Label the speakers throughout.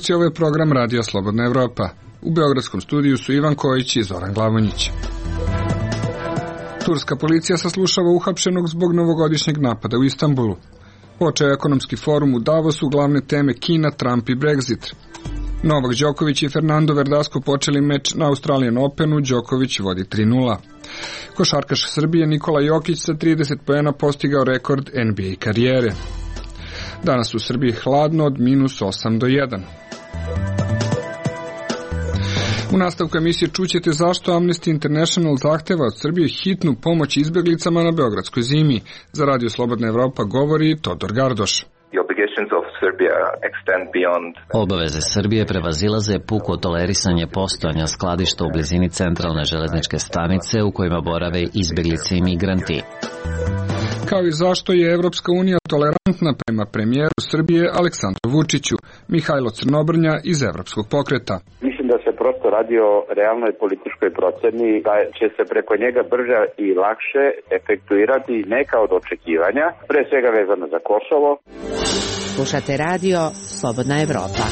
Speaker 1: slušalci, ovo je program Radio Slobodna Evropa. U beogradskom studiju su Ivan Kojić i Zoran Glavonjić. Turska policija saslušava uhapšenog zbog novogodišnjeg napada u Istanbulu. Počeo je ekonomski forum u Davosu, glavne teme Kina, Trump i Brexit. Novak Đoković i Fernando Verdasco počeli meč na Australian Openu, Đoković vodi 3:0. Košarkaš Srbije Nikola Jokić sa 30 poena postigao rekord NBA karijere. Danas u Srbiji hladno od -8 do 1. U nastavku emisije čućete zašto Amnesty International zahteva od Srbije hitnu pomoć izbeglicama na beogradskoj zimi. Za Radio Slobodna Evropa govori Todor Gardoš.
Speaker 2: Obaveze Srbije prevazilaze puko tolerisanje postojanja skladišta u blizini centralne železničke stanice u kojima borave izbeglice i migranti.
Speaker 1: Kao i zašto je Evropska unija tolerantna prema premijeru Srbije Aleksandru Vučiću. Mihajlo Crnobrnja iz Evropskog pokreta.
Speaker 3: Mislim da se prosto radi o realnoj političkoj proceni, da će se preko njega brže i lakše efektuirati neka od očekivanja, pre svega vezano za Kosovo.
Speaker 4: Slušate radio Slobodna Evropa.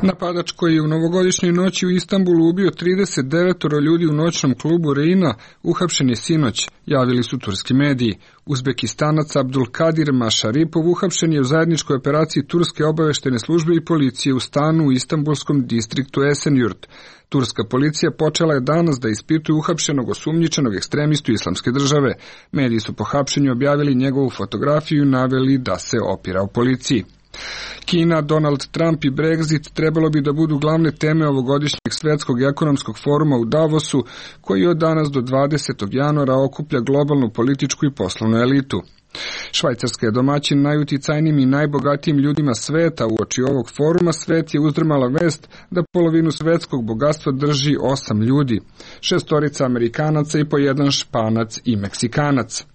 Speaker 1: Napadač koji je u novogodišnjoj noći u Istanbulu ubio 39 ljudi u noćnom klubu Reina uhapšen je sinoć, javili su turski mediji. Uzbekistanac Abdulkadir Mašaripov uhapšen je u zajedničkoj operaciji turske obaveštene službe i policije u stanu u istanbulskom distriktu Esenyurt. Turska policija počela je danas da ispituje uhapšenog osumnjičenog ekstremistu Islamske države. Mediji su po hapšenju objavili njegovu fotografiju i naveli da se opirao policiji. Kina, Donald Trump i Brexit trebalo bi da budu glavne teme ovogodišnjeg svetskog ekonomskog foruma u Davosu, koji od danas do 20. januara okuplja globalnu političku i poslovnu elitu. Švajcarska je domaćin najuticajnijim i najbogatijim ljudima sveta. Uoči ovog foruma svet je uzdrmala vest da polovinu svetskog bogatstva drži 8 ljudi, 6 Amerikanaca i po 1 Španac i Meksikanac.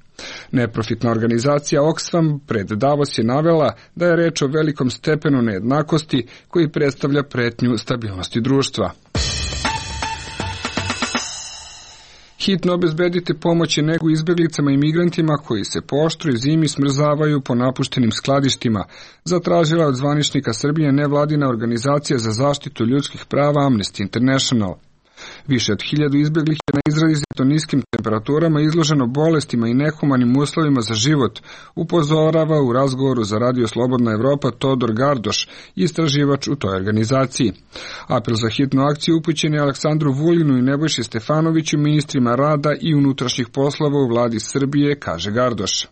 Speaker 1: Neprofitna organizacija Oxfam pred Davos je navela da je reč o velikom stepenu nejednakosti koji predstavlja pretnju stabilnosti društva. Hitno obezbedite pomoć i negu izbeglicama i migrantima koji se po oštroj zimi smrzavaju po napuštenim skladištima, zatražila od zvaničnika Srbije nevladina organizacija za zaštitu ljudskih prava Amnesty International. Više od 1000 izbeglih je na izrazito niskim temperaturama izloženo bolestima i nehumanim uslovima za život, upozorava u razgovoru za Radio Slobodna Evropa Todor Gardoš, istraživač u toj organizaciji. Apel za hitnu akciju upućen je Aleksandru Vulinu i Nebojši Stefanoviću, ministrima rada i unutrašnjih poslova u vladi Srbije, kaže Gardoš.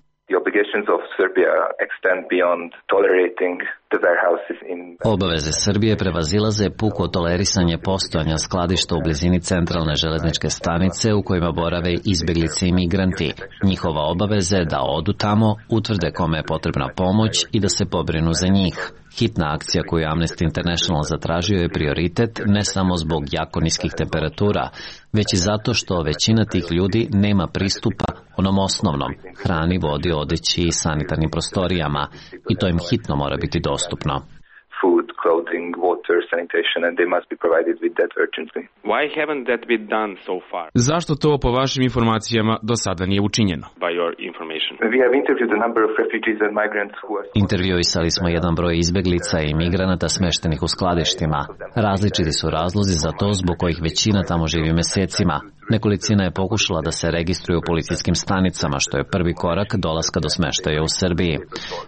Speaker 2: Obaveze Srbije prevazilaze puko tolerisanje postojanja skladišta u blizini centralne železničke stanice u kojima borave izbeglice i migranti. Njihova obaveza je da odu tamo, utvrde kome je potrebna pomoć i da se pobrinu za njih. Hitna akcija koju Amnesty International zatražio je prioritet ne samo zbog jako niskih temperatura, već i zato što većina tih ljudi nema pristupa onom osnovnom, hrani, vodi, odeći i sanitarnim prostorijama, i to im hitno mora biti dostupno.
Speaker 5: Food, clothing, water, sanitation, and they must be provided with that urgently.
Speaker 6: Why haven't that been done so far?
Speaker 7: Zašto to po vašim informacijama do sada nije učinjeno?
Speaker 6: By your information.
Speaker 5: We have interviewed a number of refugees and migrants who are...
Speaker 2: Intervjuisali smo jedan broj izbeglica i migranata smeštenih u skladištima. Različiti su razlozi za to zbog kojih većina tamo živi mesecima. Nekolicina je pokušala da se registruju u policijskim stanicama, što je prvi korak dolaska do smeštaja u Srbiji.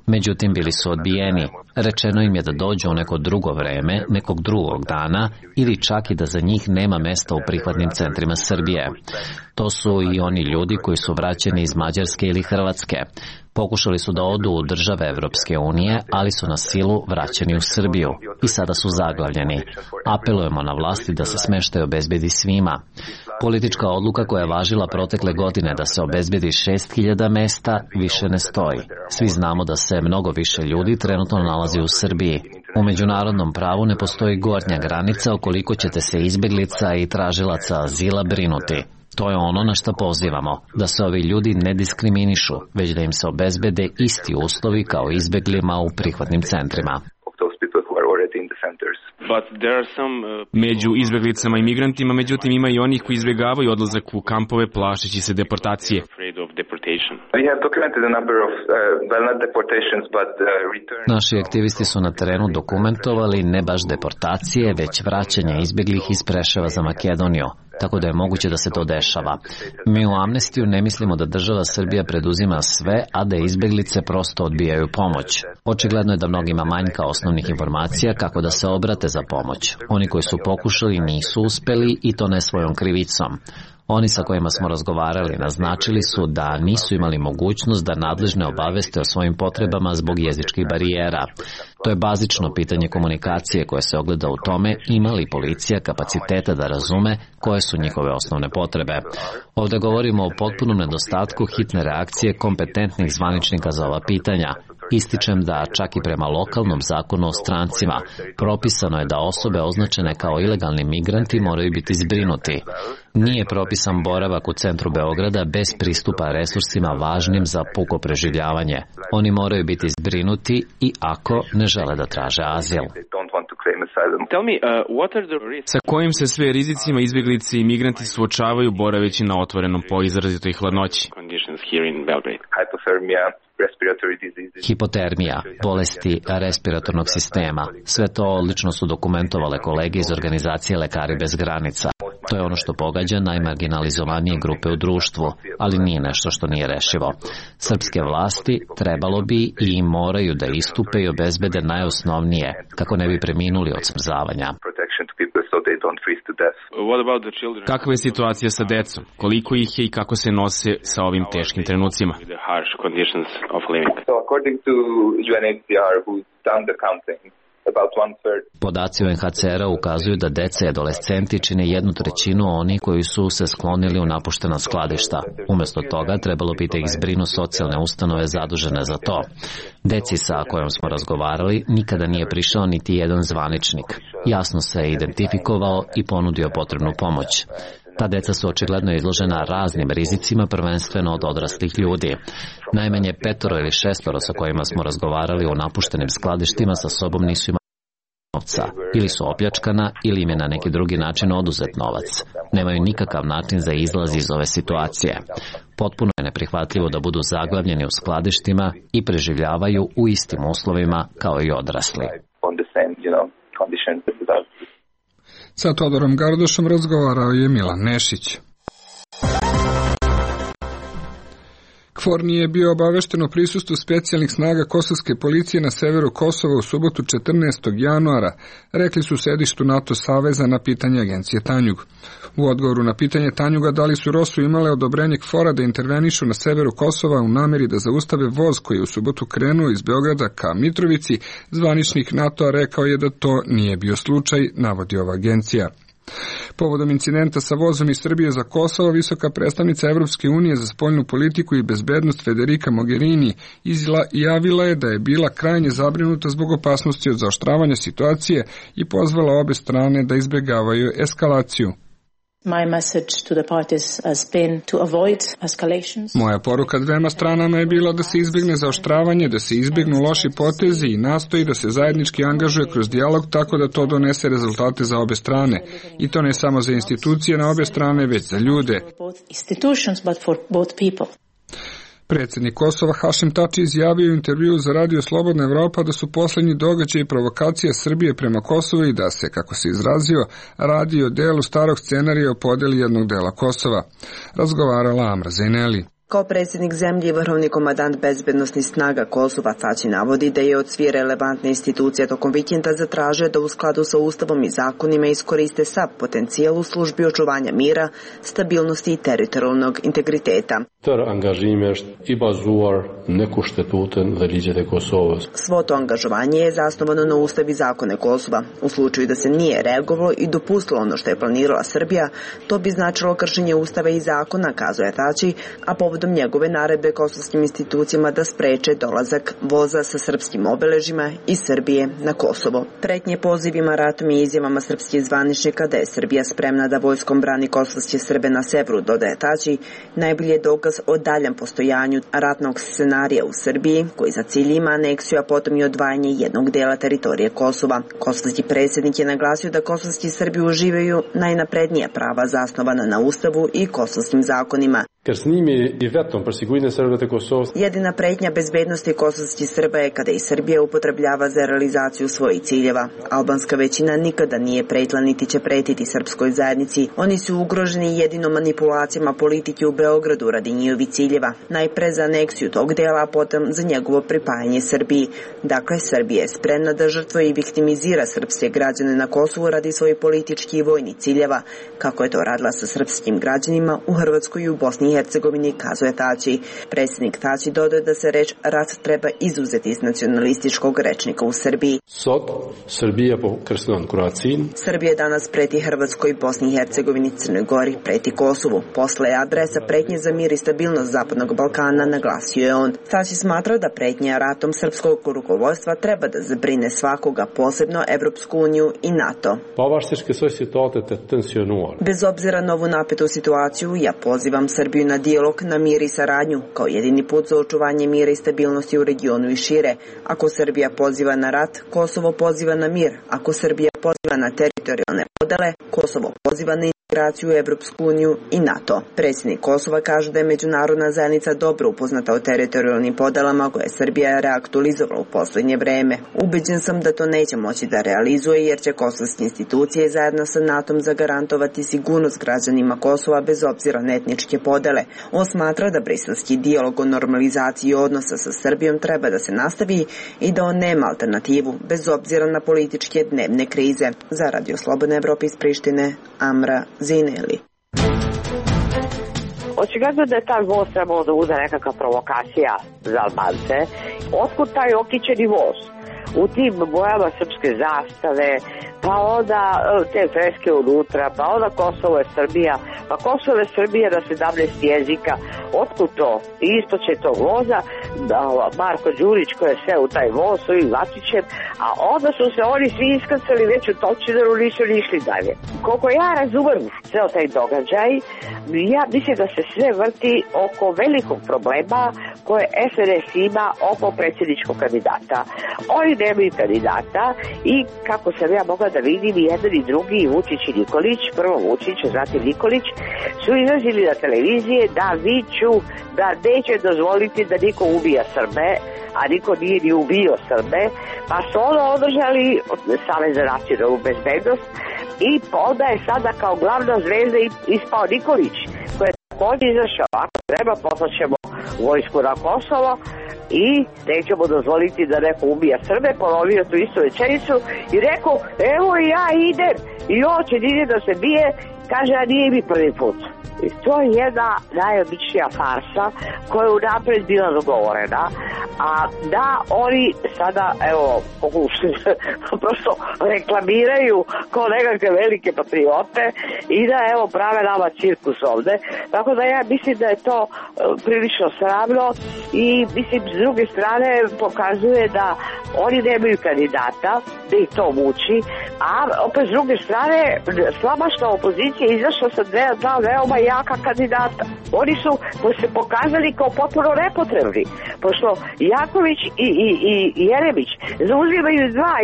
Speaker 2: Međutim, bili su odbijeni. Rečeno im je da dođu u neko drugo vreme, nekog drugog dana, ili čak i da za njih nema mesta u prihvatnim centrima Srbije. To su i oni ljudi koji su vraćeni iz Mađarske ili Hrvatske. Pokušali su da odu u države Evropske unije, ali su na silu vraćeni u Srbiju i sada su zaglavljeni. Apelujemo na vlasti da se smeštaj obezbedi svima. Politička odluka koja je važila protekle godine da se obezbedi 6000 mesta više ne stoji. Svi znamo da se mnogo više ljudi trenutno nalazi u Srbiji. U međunarodnom pravu ne postoji gornja granica o koliko ćete se izbeglica i tražilaca azila brinuti. To je ono na što pozivamo, da se ovi ljudi ne diskriminišu, već da im se obezbede isti uslovi kao izbeglima u prihvatnim centrima.
Speaker 7: Među izbeglicama i migrantima, međutim, ima i onih koji izbjegavaju odlazak u kampove plašeći se deportacije.
Speaker 6: deportation.
Speaker 5: We have documented a number of, well, not deportations, but return.
Speaker 2: Naši aktivisti su na terenu dokumentovali ne baš deportacije, već vraćanje izbjeglih iz Preševa za Makedoniju, tako da je moguće da se to dešava. Mi u Amnestiju ne mislimo da država Srbija preduzima sve, a da izbjeglice prosto odbijaju pomoć. Očigledno je da mnogima manjka osnovnih informacija kako da se obrate za pomoć. Oni koji su pokušali nisu uspeli i to ne svojom krivicom. Oni sa kojima smo razgovarali naznačili su da nisu imali mogućnost da nadležne obaveste o svojim potrebama zbog jezičkih barijera. To je bazično pitanje komunikacije koje se ogleda u tome ima li policija kapaciteta da razume koje su njihove osnovne potrebe. Ovdje govorimo o potpunom nedostatku hitne reakcije kompetentnih zvaničnika za ova pitanja. Ističem da čak i prema lokalnom zakonu o strancima propisano je da osobe označene kao ilegalni migranti moraju biti zbrinuti. Nije propisan boravak u centru Beograda bez pristupa resursima važnim za puko preživljavanje. Oni moraju biti zbrinuti i ako ne žele da traže azil.
Speaker 7: Sa kojim se sve rizicima izbjeglice i migranti suočavaju boraveći na otvorenom po izrazitoj hladnoći?
Speaker 2: Hipotermija, bolesti respiratornog sistema. Sve to odlično su dokumentovale kolege iz organizacije Lekari bez granica. To je ono što pogađa najmarginalizovanije grupe u društvu, ali nije nešto što nije rešivo. Srpske vlasti trebalo bi i moraju da istupe i obezbede najosnovnije, kako ne bi preminuli od smrzavanja.
Speaker 7: Kakva je situacija sa decom? Koliko ih je i kako se nose sa ovim teškim trenucima?
Speaker 2: Podaci UNHCR-a ukazuju da deca i adolescenti čine 1/3 onih koji su se sklonili u napuštena skladišta. Umjesto toga trebalo bi da ih zbrinu socijalne ustanove zadužene za to. Deci sa kojom smo razgovarali nikada nije prišao niti jedan zvaničnik. Jasno se je identifikovao i ponudio potrebnu pomoć. Ta deca su očigledno izložena raznim rizicima, prvenstveno od odraslih ljudi. Najmanje 5 ili 6 sa kojima smo razgovarali o napuštenim skladištima sa sobom nisu imali novca. Ili su opljačkana ili im je na neki drugi način oduzet novac. Nemaju nikakav način za izlaz iz ove situacije. Potpuno je neprihvatljivo da budu zaglavljeni u skladištima i preživljavaju u istim uslovima kao i odrasli.
Speaker 1: Sa Todorom Gardošom razgovarao je Milan Nešić. KFOR nije bio obavešten o prisustvu specijalnih snaga kosovske policije na severu Kosova u subotu 14. januara, rekli su u sedištu NATO saveza na pitanje agencije Tanjug. U odgovoru na pitanje Tanjuga da li su ROSU imale odobrenje KFOR-a da intervenišu na severu Kosova u nameri da zaustave voz koji je u subotu krenuo iz Beograda ka Mitrovici, zvaničnik NATO-a rekao je da to nije bio slučaj, navodi ova agencija. Povodom incidenta sa vozom iz Srbije za Kosovo, visoka predstavnica Evropske unije za spoljnu politiku i bezbednost Federica Mogherini javila je da je bila krajnje zabrinuta zbog opasnosti od zaoštravanja situacije i pozvala obe strane da izbjegavaju eskalaciju. Moja poruka dvema stranama je bila da se izbjegne zaoštravanje, da se izbjegnu loši potezi i nastoji da se zajednički angažuje kroz dijalog tako da to donese rezultate za obe strane. I to ne samo za institucije na obe strane, već za ljude. Predsjednik Kosova Hašim Tači izjavio u intervjuu za Radio Slobodna Evropa da su posljednji događaji provokacija Srbije prema Kosovu i da se, kako se izrazio, radi o delu starog scenarija o podjeli jednog dela Kosova. Razgovarala Amra Zaineli.
Speaker 8: Kao predsjednik zemlje i vrhovni komandant bezbednosnih snaga Kosova Tači navodi da je od svih relevantne institucije tokom vikenda zatražio da u skladu sa ustavom i zakonima iskoriste sav potencijal u službi očuvanja mira, stabilnosti i teritorijalnog integriteta. Svo to angažovanje je zasnovano na ustav i zakone Kosova. U slučaju da se nije reagovalo i dopustilo ono što je planirala Srbija, to bi značilo kršenje ustava i zakona, kazuje Tači, a povodom njegove naredbe kosovskim institucijama da spreče dolazak voza sa srpskim obeležima iz Srbije na Kosovo. Pretnje pozivima ratom i izjavama srpskih zvaničnika da je Srbija spremna da vojskom brani kosovske Srbe na severu, dodaje Tači, najbolji je dokaz o daljem postojanju ratnog scenarija u Srbiji, koji za cilj ima aneksiju, a potom i odvajanje jednog dela teritorije Kosova. Kosovski predsjednik je naglasio da kosovski Srbi uživaju najnaprednija prava zasnovana na ustavu i kosovskim zakonima.
Speaker 9: Ker s njimi je
Speaker 8: Jedina pretnja bezbednosti kosovskih Srba je kada i Srbija upotrebljava za realizaciju svojih ciljeva. Albanska većina nikada nije pretila niti će pretiti srpskoj zajednici. Oni su ugroženi jedino manipulacijama politike u Beogradu radi njihovih ciljeva. Najpre za aneksiju tog dela, a potom za njegovo pripajanje Srbiji. Dakle, Srbija je spremna da žrtvuje i viktimizira srpske građane na Kosovu radi svojih političkih i vojnih ciljeva, kako je to radila sa srpskim građanima u Hrvatskoj i u Bosni i Hercegovini, kazuje Tači. Predsjednik Tači dodaje da se reč rat treba izuzeti iz nacionalističkog rečnika u Srbiji. Srbija danas preti Hrvatskoj, Bosni i Hercegovini, Crnoj Gori, preti Kosovu. Posle je adresa pretnje za mir i stabilnost Zapadnog Balkana, naglasio je on. Tači smatra da pretnja ratom srpskog rukovodstva treba da zabrine svakoga, posebno Evropsku uniju i NATO. Bez obzira na ovu napetu situaciju, ja pozivam Srbiju na dijalog, na mir i saradnju, kao jedini put za očuvanje mira i stabilnosti u regionu i šire. Ako Srbija poziva na rat, Kosovo poziva na mir. Ako Srbija poziva na teritorijalne podele, Kosovo poziva na integraciju u Evropsku uniju i NATO. Predsjednik Kosova kaže da je međunarodna zajednica dobro upoznata o teritorijalnim podelama koje Srbija reaktualizovala u posljednje vreme. Ubeđen sam da to neće moći da realizuje jer će kosovske institucije zajedno sa NATO-om zagarantovati sigurnost građanima Kosova bez obzira na etničke podele. On smatra da briselski dijalog o normalizaciji odnosa sa Srbijom treba da se nastavi i da on nema alternativu bez obzira na političke dnevne krize. Za Radio Slobodna Evropa iz Prištine, Amra Zineli.
Speaker 9: Očigledno da je taj voz trebalo da bude nekakva provokacija za Albance. Otkud taj okićeni voz? U tim bojama srpske zastave, pa onda te freske unutra, pa onda Kosovo je Srbija, pa Kosovo je Srbija na 17 jezika. Otkud to? Isto će tog voza, Marko Đurić koji je sve u taj voz s ovim Vačićem, a onda su se oni svi iskrcali već u Točineru, nisu išli dalje. Koliko ja razumem sve taj događaj, ja mislim da se sve vrti oko velikog problema koje SNS ima oko predsjedničkog kandidata. Oni nemaju kandidata i kako sam ja mogla da vidim i jedan i drugi, Vučić i Nikolić, prvo Vučić, zatim Nikolić, su izrazili na televizije da viču da neće dozvoliti da niko ubija Srbe, a niko nije ni ubio Srbe, pa su ono održali Savez za nacionalnu bezbednost i onda je sada kao glavna zvezda ispao Nikolić, koji je također izašao, ako treba poslaćemo vojsku na Kosovo i nećemo dozvoliti da neko ubija Srbe, ponovio tu istu rečenicu i rekao, evo ja idem i on će da se bije, kaže, a nije mi prvi put. I to je jedna najobičnija farsa koja je unapred bila dogovorena, a da oni sada, evo, prosto reklamiraju kao nekakve velike patriote i da, evo, prave nama cirkus ovde. Tako da ja mislim da je to prilično sramno i, mislim, s druge strane pokazuje da oni nemaju kandidata, da ih to muči, a opet s druge strane slabašna opozicija izašla sa dva veoma jaka kandidata. Oni su se pokazali kao potpuno nepotrebni, pošto Jaković i Jeremić zauzimaju dva,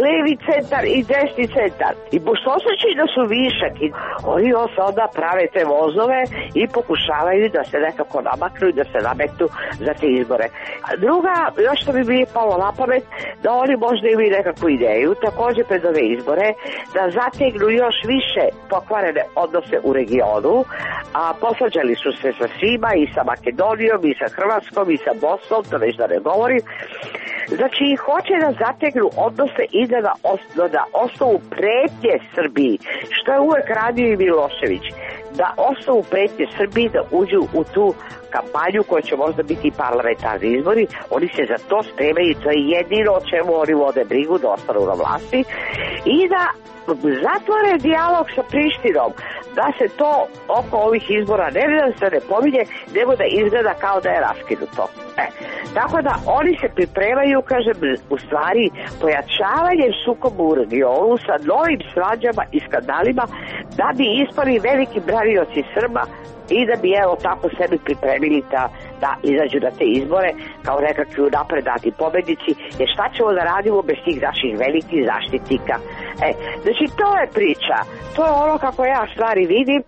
Speaker 9: levi centar i desni centar. I pošto osjećaju da su višak, oni onda prave te vozove i pokušavaju da se nekako namaknu i da se nametnu za te izbore. Druga, još što bi mi palo na pamet, da oni možda imaju nekakvu ideju, također pred ove izbore, da zategnu još više pokvarene odnose u regionu, a posvađali su se sa svima, i sa Makedonijom, i sa Hrvatskom, i sa Bosnom, to već da ne govorim. Znači, hoće da zategnu odnose i da osnovu pretnje Srbiji, što je uvek radio i Milošević, da osnovu pretnje Srbiji da uđu u tu kampanju koja će možda biti parlamentarni izbori. Oni se za to spremaju, to je jedino o čemu oni vode brigu, da ostanu na vlasti i da zatvore dijalog sa Prištinom, da se to oko ovih izbora ne pominje, nego da izgleda kao da je raskinuto. Tako da oni se pripremaju, kažem, u stvari pojačavanjem sukoba u regionu sa novim svađama i skandalima, da bi ispali veliki branioci Srba i da bi, evo, tako sebi pripremili da izađu na te izbore kao nekakvi napredati pobednici, jer šta ćemo da radimo bez tih naših velikih zaštitnika. Znači, to je priča, to je ono kako ja stvari vidim.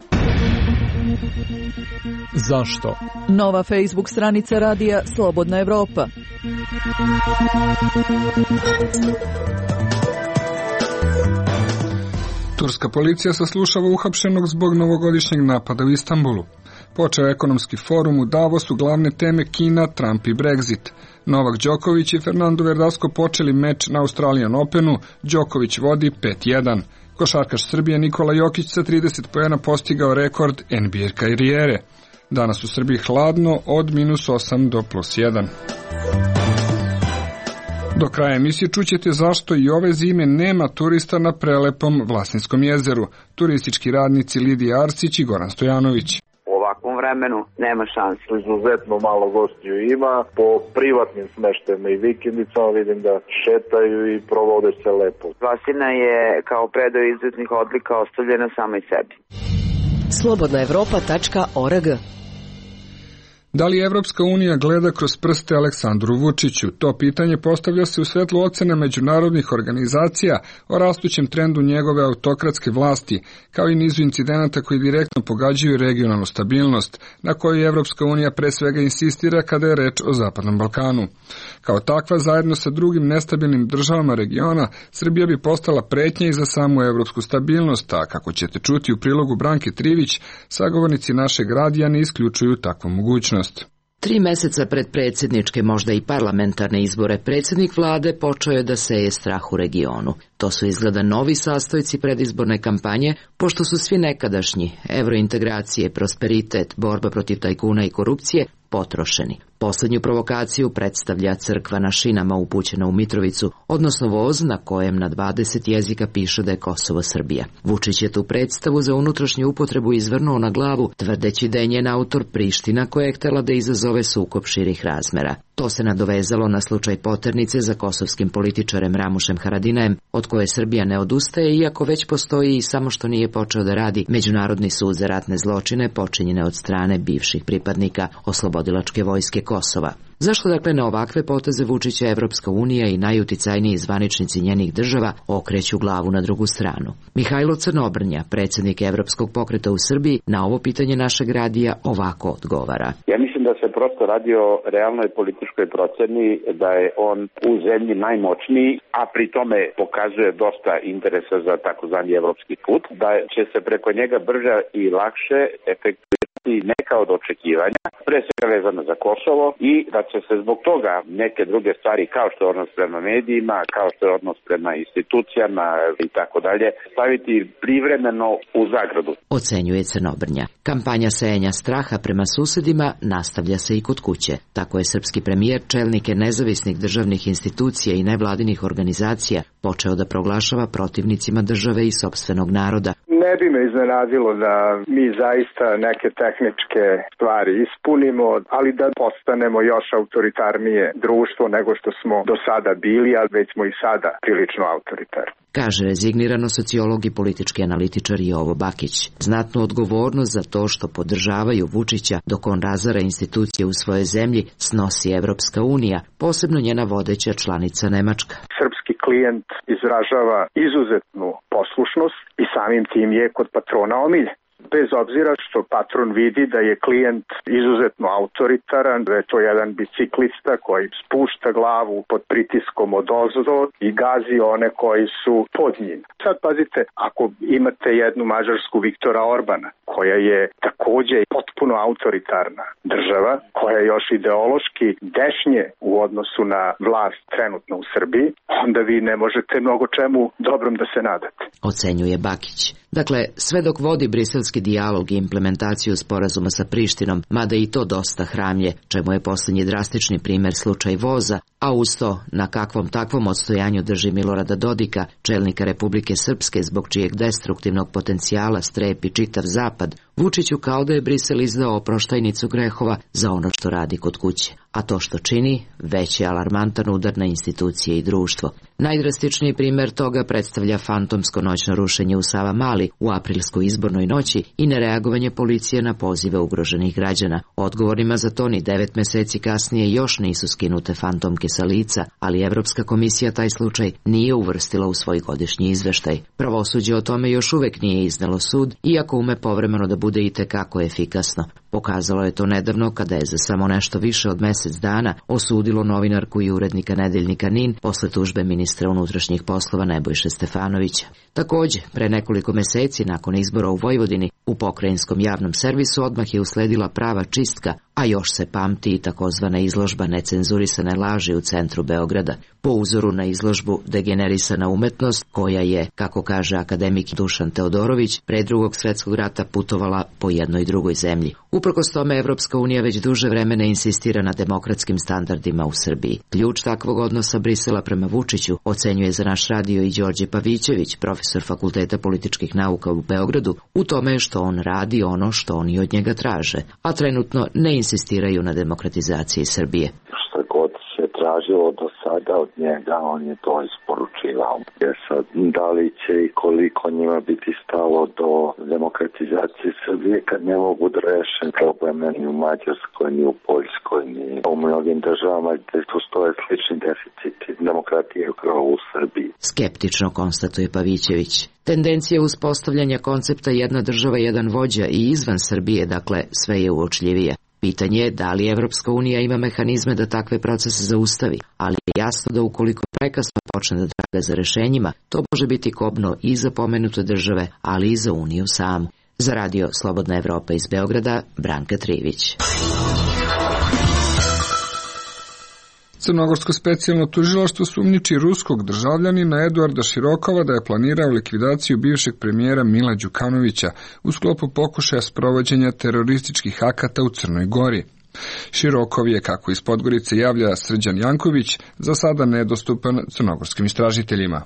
Speaker 10: Zašto?
Speaker 11: Nova Facebook stranica radija Slobodna Evropa.
Speaker 1: Turska policija saslušava uhapšenog zbog novogodišnjeg napada u Istanbulu. Počeo ekonomski forum u Davosu, glavne teme Kina, Trump i Brexit. Novak Đoković i Fernando Verdasco počeli meč na Australian Openu, Đoković vodi 5-1. Košarkaš Srbije Nikola Jokić sa 30 poena postigao rekord NBA karijere. Danas u Srbiji hladno od -8 do +1. Do kraja emisije čućete zašto i ove zime nema turista na prelepom Vlasinskom jezeru. Turistički radnici Lidija Arsić i Goran Stojanović.
Speaker 12: U ovakvom vremenu nema šanse. Izuzetno malo gostiju ima. Po privatnim smeštajima i vikendicama vidim da šetaju i provode se lepo.
Speaker 9: Vlasina je kao predao izuzetnih odlika ostavljena samoj sebi.
Speaker 4: Slobodnaevropa.org.
Speaker 1: Da li Evropska unija gleda kroz prste Aleksandru Vučiću? To pitanje postavlja se u svetlu ocena međunarodnih organizacija o rastućem trendu njegove autokratske vlasti, kao i nizu incidenata koji direktno pogađaju regionalnu stabilnost, na koju Evropska unija pre svega insistira kada je reč o Zapadnom Balkanu. Kao takva, zajedno sa drugim nestabilnim državama regiona, Srbija bi postala pretnja i za samu evropsku stabilnost, a kako ćete čuti u prilogu Branke Trivić, sagovornici našeg radija ne isključuju takvu mogućnost.
Speaker 4: 3 meseca pred predsjedničke, možda i parlamentarne izbore, predsjednik vlade počeo je da seje strah u regionu. To su izgleda novi sastojci predizborne kampanje, pošto su svi nekadašnji evrointegracije, prosperitet, borba protiv tajkuna i korupcije potrošeni. Poslednju provokaciju predstavlja crkva na šinama upućena u Mitrovicu, odnosno voz na kojem na 20 jezika piše da je Kosovo Srbija. Vučić je tu predstavu za unutrašnju upotrebu izvrnuo na glavu, tvrdeći da je njen autor Priština koja je htela da izazove sukob širih razmera. To se nadovezalo na slučaj poternice za kosovskim političarem Ramušem Haradinajem, od koje Srbija ne odustaje, iako već postoji i samo što nije počeo da radi Međunarodni sud za ratne zločine počinjene od strane bivših pripadnika Oslobodilačke vojske Kosova. Zašto dakle na ovakve poteze Vučića Evropska unija i najuticajniji zvaničnici njenih država okreću glavu na drugu stranu? Mihajlo Crnobrnja, predsjednik Evropskog pokreta u Srbiji, na ovo pitanje našeg radija ovako odgovara.
Speaker 3: Ja mislim da se prosto radi o realnoj političkoj proceni, da je on u zemlji najmoćniji, a pri tome pokazuje dosta interesa za takozvani evropski put, da će se preko njega brže i lakše efektuirati neka od očekivanja, pre svega vezano za Kosovo, i da će se zbog toga neke druge stvari, kao što je odnos prema medijima, kao što je odnos prema institucijama i tako dalje, staviti privremeno u zagradu.
Speaker 4: Ocenjuje Crnobrnja. Kampanja sejanja straha prema susedima nastavlja se i kod kuće. Tako je srpski premijer čelnike nezavisnih državnih institucija i nevladinih organizacija počeo da proglašava protivnicima države i sopstvenog naroda.
Speaker 13: Ne bi me iznenadilo da mi zaista neke tehničke stvari ispunimo, ali da postanemo još autoritarnije društvo nego što smo do sada bili, ali već smo i sada prilično autoritarni.
Speaker 4: Kaže rezignirano sociolog i politički analitičar Jovo Bakić. Znatnu odgovornost za to što podržavaju Vučića dok on razara institucije u svojoj zemlji snosi Evropska unija, posebno njena vodeća članica Nemačka.
Speaker 13: Srpski klijent izražava izuzetnu poslušnost i samim tim je kod patrona omiljen. Bez obzira što patron vidi da je klijent izuzetno autoritaran, da je to jedan biciklista koji spušta glavu pod pritiskom odozdo i gazi one koji su pod njim. Sad pazite, ako imate jednu mađarsku Viktora Orbana, koja je takođe potpuno autoritarna država, koja je još ideološki dešnje u odnosu na vlast trenutno u Srbiji, onda vi ne možete mnogo čemu dobrom da se nadate.
Speaker 4: Ocenjuje Bakić. Dakle, sve dok vodi briselski dijalog i implementaciju sporazuma sa Prištinom, mada i to dosta hramlje, čemu je posljednji drastični primjer slučaj voza, a uz to na kakvom takvom odstojanju drži Milorada Dodika, čelnika Republike Srpske, zbog čijeg destruktivnog potencijala strepi čitav zapad, Vučiću kao da je Brisel izdao oproštajnicu grehova za ono što radi kod kuće. A to što čini, već je alarmantan udar na institucije i društvo. Najdrastičniji primjer toga predstavlja fantomsko noćno rušenje u Savamali u aprilskoj izbornoj noći i nereagovanje policije na pozive ugroženih građana. Odgovorima za to ni 9 meseci kasnije još nisu skinute fantomke sa lica, ali Evropska komisija taj slučaj nije uvrstila u svoj godišnji izveštaj. Pravosuđe o tome još uvek nije iznelo sud, iako ume povremeno da bude itekako efikasno. Pokazalo je to nedavno kada je za samo nešto više od mesec dana osudilo novinarku i urednika nedeljnika NIN posle tužbe ministra unutrašnjih poslova Nebojše Stefanovića. Takođe, pre nekoliko meseci nakon izbora u Vojvodini, u pokrajinskom javnom servisu odmah je usledila prava čistka, a još se pamti i takozvana izložba necenzurisane laži u centru Beograda, po uzoru na izložbu Degenerisana umetnost, koja je, kako kaže akademik Dušan Teodorović, pre Drugog svetskog rata putovala po jednoj drugoj zemlji. Uprkos tome, Evropska unija već duže vremena insistira na demokratskim standardima u Srbiji. Ključ takvog odnosa Brisela prema Vučiću ocenjuje za naš radio i Đorđe Pavićević, profesor Fakulteta političkih nauka u Beogradu, u tome je što on radi ono što oni od njega traže, a trenutno ne insistiraju na demokratizaciji Srbije.
Speaker 10: Šta god se tražilo do sada od njega, on je to isporučivao. Jer sad, da li će i koliko njima biti stalo do demokratizacije Srbije kad ne mogu da reše probleme ni u Mađarskoj, ni u Poljskoj, ni u mnogim državama gde postoje slični deficiti demokratije kao u Srbiji.
Speaker 4: Skeptično konstatuje Pavićević. Tendencija uspostavljanja koncepta jedna država, jedan vođa i izvan Srbije, dakle, sve je uočljivije. Pitanje je da li Evropska unija ima mehanizme da takve procese zaustavi, ali je jasno da ukoliko prekasno počne da traga za rešenjima, to može biti kobno i za pomenute države, ali i za Uniju samu. Za radio Slobodna Evropa iz Beograda, Branka Trivić.
Speaker 1: Crnogorsko specijalno tužilaštvo sumnjiči ruskog državljanina Eduarda Širokova da je planirao likvidaciju bivšeg premijera Mila Đukanovića u sklopu pokušaja sprovođenja terorističkih akata u Crnoj Gori. Širokov je, kako iz Podgorice javlja Srđan Janković, za sada nedostupan crnogorskim istražiteljima.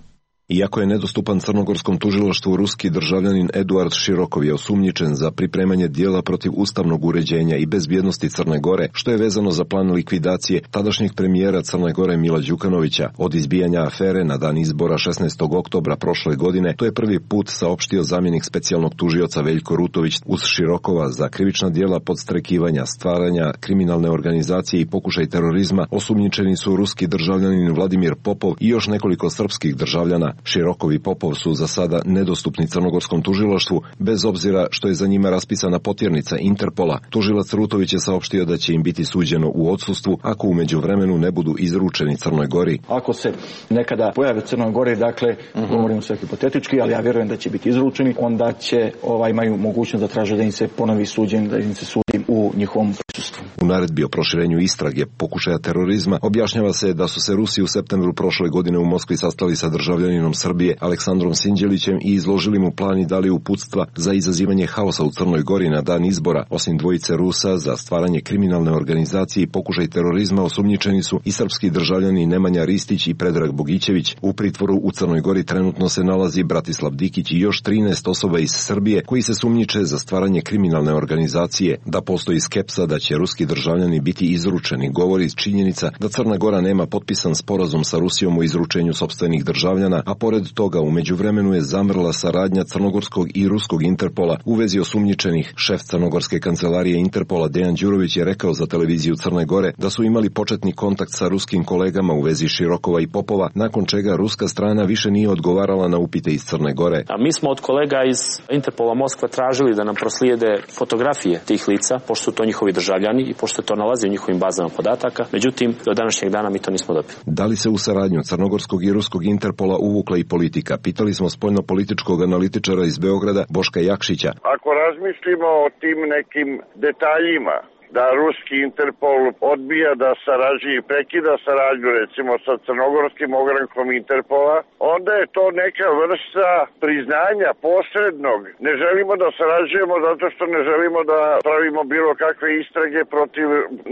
Speaker 14: Iako je nedostupan crnogorskom tužilaštvu, ruski državljanin Eduard Širokov je osumnjičen za pripremanje dijela protiv ustavnog uređenja i bezbjednosti Crne Gore, što je vezano za plan likvidacije tadašnjeg premijera Crne Gore Mila Đukanovića. Od izbijanja afere na dan izbora 16. oktobra prošle godine, to je prvi put saopštio zamjenik specijalnog tužioca Veljko Rutović. Uz Širokova za krivična dijela podstrekivanja, stvaranja kriminalne organizacije i pokušaj terorizma osumnjičeni su ruski državljanin Vladimir Popov i još nekoliko srpskih državljana. Širokov i Popov su za sada nedostupni crnogorskom tužilaštvu, bez obzira što je za njima raspisana potjernica Interpola. Tužilac Rutović je saopštio da će im biti suđeno u odsustvu ako u međuvremenu ne budu izručeni Crnoj Gori.
Speaker 15: Ako se nekada pojave u Crnoj Gori, dakle, govorimo sve hipotetički, ali ja vjerujem da će biti izručeni, onda će imaju mogućnost da traže da im se ponovi suđenje, da im se sudi u njihovom prisustvu.
Speaker 14: U naredbi o proširenju istrage pokušaja terorizma objašnjava se da su se Rusi u septembru prošle godine u Moskvi sastali sa državljaninom Srbije Aleksandrom Sinđelićem i izložili mu plan i dali uputstva za izazivanje haosa u Crnoj Gori na dan izbora. Osim dvojice Rusa za stvaranje kriminalne organizacije i pokušaj terorizma osumnjičeni su i srpski državljani Nemanja Ristić i Predrag Bogićević. U pritvoru u Crnoj Gori trenutno se nalazi Bratislav Dikić i još 13 osoba iz Srbije koji se sumnjiče za stvaranje kriminalne organizacije. Da postoji skepsa da će ruski državljani biti izručeni govori iz činjenica da Crna Gora nema potpisan sporazum sa Rusijom o izručenju sopstvenih državljana, a pored toga u međuvremenu je zamrla saradnja crnogorskog i ruskog Interpola u vezi osumnjičenih. Šef crnogorske kancelarije Interpola Dejan Đurović je rekao za televiziju Crne Gore da su imali početni kontakt sa ruskim kolegama u vezi Širokova i Popova, nakon čega ruska strana više nije odgovarala na upite iz Crne Gore.
Speaker 16: A mi smo od kolega iz Interpola Moskva tražili da nam proslijede fotografije tih lica, pošto su to njihovi državljani i pošto to nalazi u njihovim bazama podataka. Međutim, do današnjeg dana mi to nismo dobili.
Speaker 14: Da li se u saradnju crnogorskog i ruskog Interpola uvukla i politika? Pitali smo spoljnopolitičkog analitičara iz Beograda Boška Jakšića.
Speaker 17: Ako razmislimo o tim nekim detaljima, da ruski Interpol odbija da sarađuje i prekida saradnju recimo sa crnogorskim ogrankom Interpola, onda je to neka vrsta priznanja posrednog. Ne želimo da sarađujemo zato što ne želimo da pravimo bilo kakve istrage protiv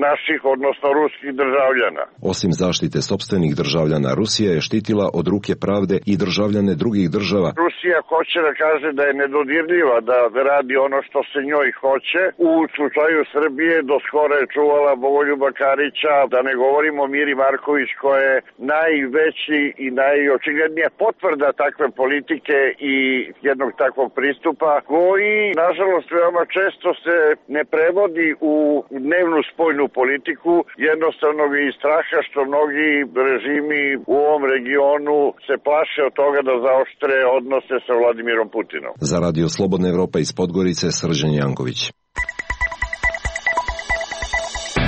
Speaker 17: naših, odnosno ruskih državljana.
Speaker 14: Osim zaštite sopstvenih državljana, Rusija je štitila od ruke pravde i državljane drugih država.
Speaker 17: Rusija hoće da kaže da je nedodirljiva, da radi ono što se njoj hoće. U slučaju Srbije do skoro je čuvala Bogoljuba Karića, da ne govorimo Miri Marković koja je najveći i najočiglednija potvrda takve politike i jednog takvog pristupa koji, nažalost, veoma često se ne prevodi u dnevnu spoljnu politiku, jednostavno iz straha što mnogi režimi u ovom regionu se plaše od toga da zaoštre odnose sa Vladimirom Putinom.
Speaker 14: Za Radio Slobodna Evropa iz Podgorice, Srđan Janković.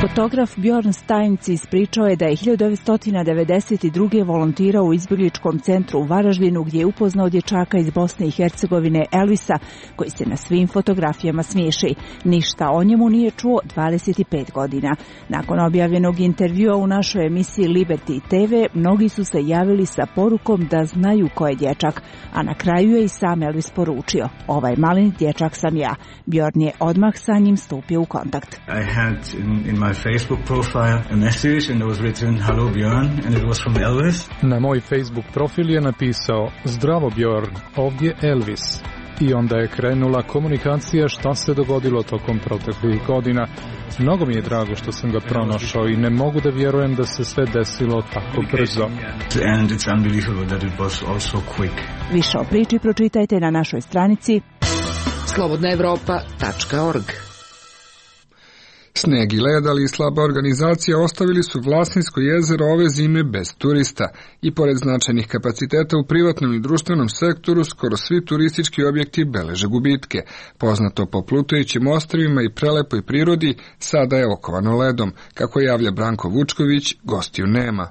Speaker 18: Fotograf Bjorn Steinc ispričao je da je 1992. volontirao u izbjegličkom centru u Varaždinu gdje je upoznao dječaka iz Bosne i Hercegovine Elvisa, koji se na svim fotografijama smiješi. Ništa o njemu nije čuo 25 godina. Nakon objavljenog intervjua u našoj emisiji Liberty TV, mnogi su se javili sa porukom da znaju ko je dječak, a na kraju je i sam Elvis poručio: "Ovaj maleni dječak sam ja." Bjorn je odmah sa njim stupio u kontakt.
Speaker 19: In my Facebook profile a message and it was written "Hello Bjorn" and it was from Elvis.
Speaker 20: Na moj Facebook profil je napisao: "Zdravo Bjorn, ovdje Elvis." I onda je krenula komunikacija šta se dogodilo tokom proteklih godina. Mnogo mi je drago što sam ga pronašao i ne mogu da vjerujem da se sve desilo tako brzo.
Speaker 19: And it's unbelievable that it was also quick.
Speaker 18: Više o priči pročitajte na našoj stranici
Speaker 4: slobodnaevropa.org.
Speaker 1: Sneg i led, ali i slaba organizacija ostavili su Vlasinsko jezero ove zime bez turista i pored značajnih kapaciteta u privatnom i društvenom sektoru skoro svi turistički objekti beleže gubitke. Poznato po plutajućim ostrvima i prelepoj prirodi sada je okovano ledom. Kako javlja Branko Vučković, gostiju nema.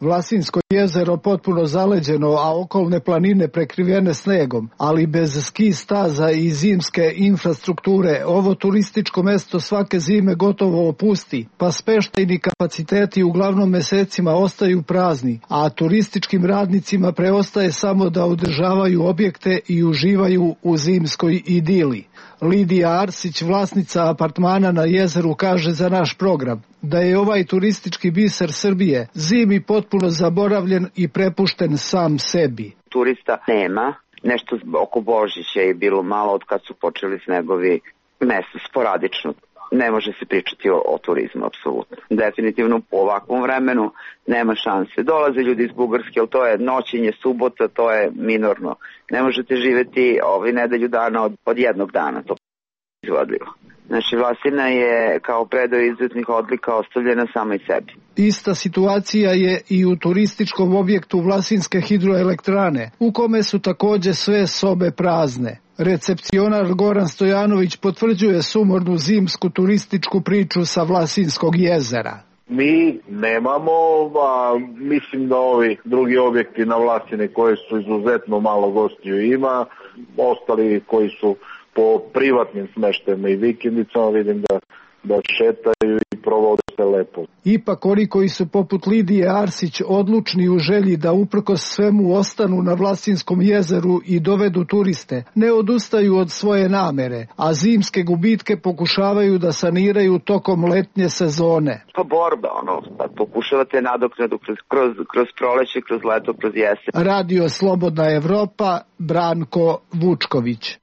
Speaker 21: Vlasinsko jezero potpuno zaleđeno, a okolne planine prekrivene snegom, ali bez ski staza i zimske infrastrukture, ovo turističko mesto svake zime gotovo opusti, pa smještajni kapaciteti uglavnom mesecima ostaju prazni, a turističkim radnicima preostaje samo da održavaju objekte i uživaju u zimskoj idili. Lidija Arsić, vlasnica apartmana na jezeru, kaže za naš program da je ovaj turistički biser Srbije zimi potpuno zaboravljen i prepušten sam sebi.
Speaker 22: Turista nema, nešto oko Božića je bilo malo od kad su počeli snegovi, mesto sporadično. Ne može se pričati o turizmu, apsolutno. Definitivno u ovakvom vremenu nema šanse. Dolaze ljudi iz Bugarske, ali to je noćenje, subota, to je minorno. Ne možete živjeti nedelju dana od jednog dana, to je izvodljivo. Znači, Vlasina je kao predao izuzetnih odlika ostavljena samoj sebi.
Speaker 21: Ista situacija je i u turističkom objektu Vlasinske hidroelektrane, u kome su također sve sobe prazne. Recepcionar Goran Stojanović potvrđuje sumornu zimsku turističku priču sa Vlasinskog jezera.
Speaker 12: Mi nemamo, mislim da ovi drugi objekti na Vlasine koji su izuzetno malo gostiju ima, ostali koji su po privatnim smeštajima i vikendicama, vidim da šetaju i provode se lepo.
Speaker 21: Ipak oni koji su poput Lidije Arsić odlučni u želji da uprkos svemu ostanu na Vlasinskom jezeru i dovedu turiste, ne odustaju od svoje namere, a zimske gubitke pokušavaju da saniraju tokom letnje sezone.
Speaker 22: Pa borba, pokušavate nadoknadu kroz proleće, kroz leto, kroz jesen.
Speaker 21: Radio Slobodna Evropa, Branko Vučković.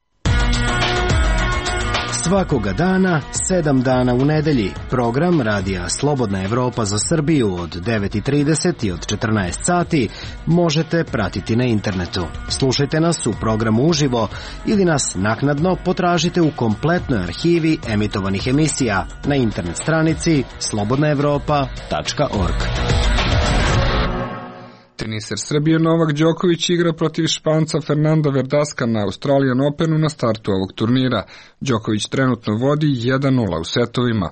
Speaker 23: Svakoga dana, 7 dana u nedelji. Program Radija Slobodna Evropa za Srbiju od 9:30 i od 14 sati možete pratiti na internetu. Slušajte nas u programu uživo ili nas naknadno potražite u kompletnoj arhivi emitovanih emisija na internet stranici slobodnaevropa.org.
Speaker 1: Teniser Srbije Novak Đoković igra protiv Španca Fernanda Verdaska na Australian Openu na startu ovog turnira. Đoković trenutno vodi 1:0 u setovima.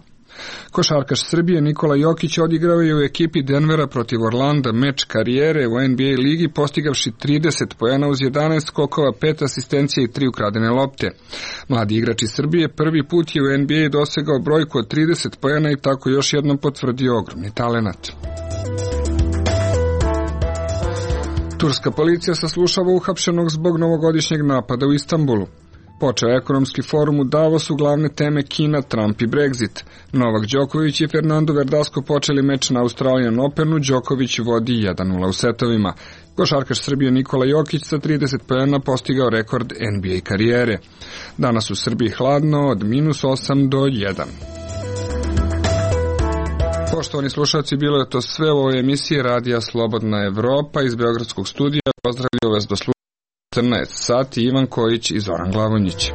Speaker 1: Košarkaš Srbije Nikola Jokić odigrao je u ekipi Denvera protiv Orlanda meč karijere u NBA ligi, postigavši 30 poena uz 11 skokova, 5 asistencija i 3 ukradene lopte. Mladi igrač iz Srbije prvi put je u NBA dosegao brojku od 30 poena i tako još jednom potvrdio ogromni talenat. Turska policija saslušava uhapšenog zbog novogodišnjeg napada u Istanbulu. Počeo ekonomski forum u Davosu, glavne teme Kina, Trump i Brexit. Novak Đoković i Fernando Verdasko počeli meč na Australian Openu, Đoković vodi 1:0 u setovima. Košarkaš Srbije Nikola Jokić sa 30 poena postigao rekord NBA karijere. Danas u Srbiji hladno od -8 do 1. Poštovani slušalci, bilo je to sve u ovoj emisiji Radija Slobodna Evropa iz Beogradskog studija. Pozdravljaju vas do slušanja 14 sati Ivan Kojić i Zoran Glavonjić.